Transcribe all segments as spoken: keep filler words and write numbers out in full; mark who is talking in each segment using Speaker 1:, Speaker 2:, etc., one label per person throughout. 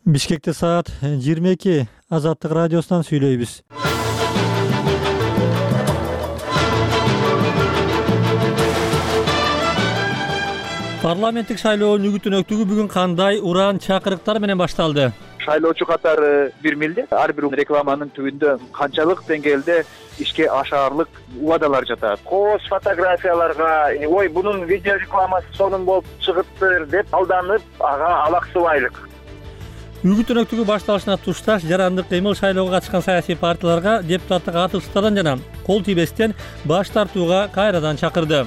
Speaker 1: Бишкекте саат жыйырма эки. Азаттык радиосунан сүйлөйбүз. Парламенттик шайлоонун үгүт-өнөктүгү бүгүн кандай уран чакырыктар менен башталды?
Speaker 2: Шайлоочу катары бир милде ар бир рекламанын түбүндө канчалык деңгээлде ишке ашаарлык убадалар жатат. Кооз фотографияларга ой бунун видео рекламасы сонун болуп чыгыптыр деп алданып ага алаксыбайлык.
Speaker 1: Үгүт-өнөктүгү башталышына тушташ жарандык кыймыл шайлоого катышкан саясий партияларга депутаттык атыштардан жана кол тийбестен баш тартууга кайрадан чакырды.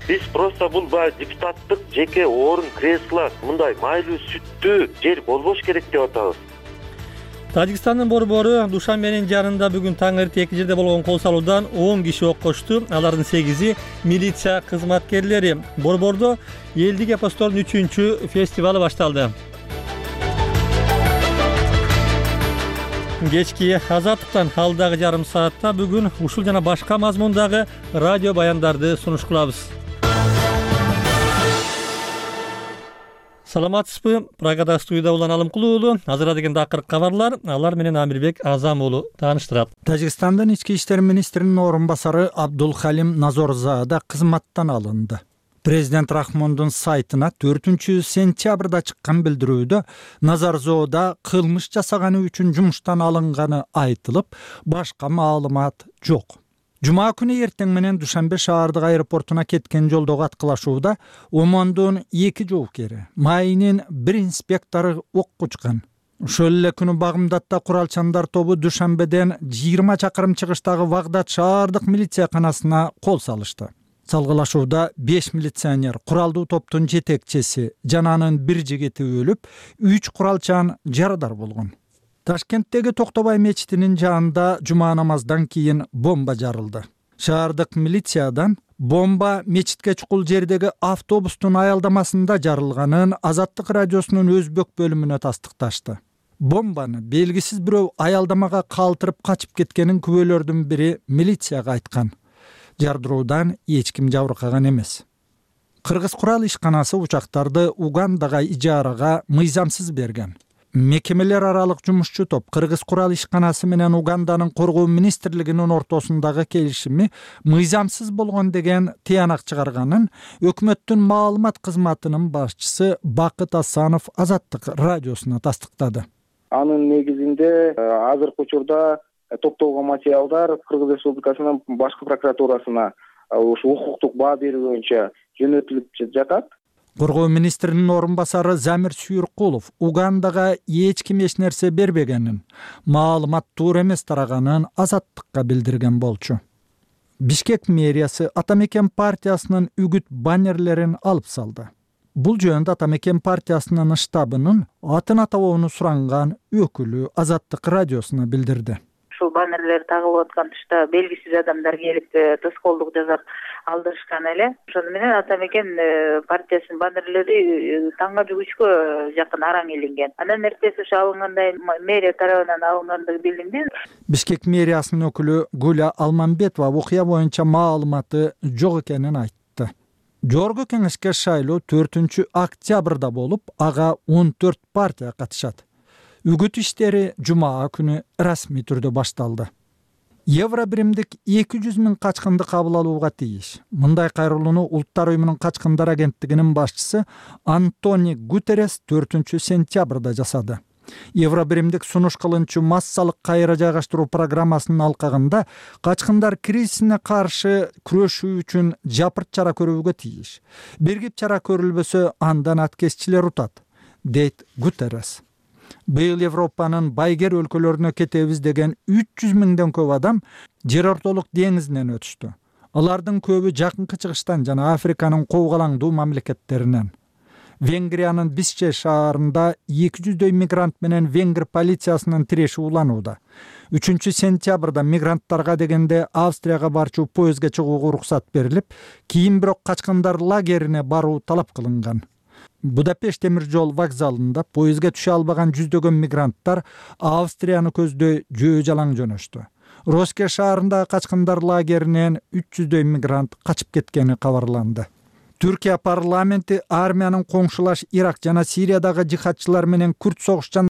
Speaker 3: Биз просто бул баягы депутаттык жеке орун, кресло, мындай майлуу сүттүү жер болбош керек деп атабыз.
Speaker 1: Тажикстандын борбору Душанбенин жанында бүгүн таң эрте эки жерде болгон кол салуудан он киши оккочту. Алардын сегизи милиция кызматкерлери. Борбордо элдик эпостордун үчүнчү фестивалы башталды. Кечки Азаттыктан алдагы жарым саатта бүгүн ушул жана башка мазмундагы радио баяндарды сунуш кылабыз. Саламатсызбы? Прагада студияда Улан Алымкулуу. Азыр деген дакыр кабарлар, алар менен Амирбек Азам уулу тааныштырат.
Speaker 4: Тажикстандын ички иштер министринин орун басары Абдулхалим Назорзада кызматтан алынды. Президент Рахмондун сайтына төртүнчү сентябрда чыккан билдирүүдө Назарзода кылмыш жасаганы үчүн жумуштан алынганы айтылып, башка маалымат жок. Жума күнү эртең менен Душанбе шаардык аэропортуна кеткен жолдогу аткылашууда Омондун эки жоокери, Майнин бир инспектору окко учкан. Ошол эле күнү Багымдатта куралчандар тобу Душанбеден жыйырма чакырым чыгыштагы Вагдат шаардык милицияканасына кол салышты. Салгылашууда беш милиционер, куралдуу топтун жетекчиси жана анын бир жигити өлүп, үч куралчан жарадар болгон. Ташкенттеги Токтобай мечитинин жанында жума намаздан кийин бомба жарылды. Шаардык милициядан бомба мечитке чукул жердеги автобустун аялдамасында жарылганын Азаттык радиосунун өзбек бөлүмүнө тастыкташты. Бомбаны белгисиз бирөө аялдамага калтырып качып кеткенин күбөлөрдүн бири милицияга айткан. Жардыруудан эч ким жабыркаган эмес. Кыргыз курал ишканасы учактарды Угандага ижарага мыйзамсыз берген. Мекемелер аралык жумушчу топ Кыргыз курал ишканасы менен Уганданын коргоо министрлигинин ортосундагы келишими мыйзамсыз болгон деген тыянак чыгарганын өкмөттүн маалымат кызматынын башчысы Бакыт Асанов Азаттык радиосуна тастыктады.
Speaker 5: Анын негизинде азыркы учурда топтолгон материалдар Кыргыз Республикасынын башкы прокуратурасына ушу укуктук баа берүү боюнча жөнөтүлүп жатат.
Speaker 4: Коргоо министринин орун басары Замир Сүйүркулов Угандага эч ким эч нерсе бербегенин, маалымат туура эмес тараганын Азаттыкка билдирген болчу. Бишкек мэриясы Атамекен партиясынын үгүт баннерлерин алып салды. Бул жөнүндө Атамекен партиясынын штабынын атын атабоону суранган өкүлү Азаттык радиосуна билдирди.
Speaker 6: Ушул баннерлер тагылып аткан тушта белгисиз адамдар келип тоскоолдук жасап алдырышкан эле. Ошону менен Атамекен партиясынын баннерлери таңга жүгүчкө жакын араң илинген. Андан эртеси ошо алынгандай мэрия тарабынан алынгандыгы билинди.
Speaker 4: Бишкек мэриясынын өкүлү Гуля Алмамбетова окуя боюнча маалыматы жок экенин айтты. Жогорку кеңешке шайлоо төртүнчү октябрда болуп, ага он төрт партия катышат. Үгүт иштери жума күнү расмий түрдө башталды. Евро биримдик эки жүз миң качкынды кабыл алууга тийиш. Мындай кайрылууну Улуттар уюмунун качкындар агенттигинин башчысы Антонио Гутеррес төртүнчү сентябрда жасады. Евро биримдик сунуш кылынчу массалык кайра жайгаштыруу программасынын алкагында качкындар кризисине каршы күрөшүү үчүн жапырт чара көрүүгө тийиш. Биргип чара көрүлбөсө андан аткезчилер утат, дейт Гутеррес. Быйыл Европанын байгер өлкөлөрүнө кетебиз деген үч жүз миңден көп адам жер ортолук деңизинен өтүштү. Алардын көбү жакынкы чыгыштан жана Африканын ковгалаңдуу мамлекеттеринен. Венгриянын Бисче шаарында эки жүздөй мигрант менен венгр полициясынын тиреши уланууда. үчүнчү сентябрда мигранттарга дегенде Австрияга барчу поездге чыгууга уруксат берилип, кийин бирок качкындар лагерине баруу талап кылынган. Будапешт темир жол вокзалында поездге түшө албаган жүздөгөн мигранттар Австрияны көздөй жөө жалаң жөнөштү. Роске шаарындагы качкындар лагеринен үч жүздөй мигрант качып кеткени кабарланды. Түркия парламенти армиянын коңшулаш Ирак жана Сириядагы жихадчылар менен күрт согуш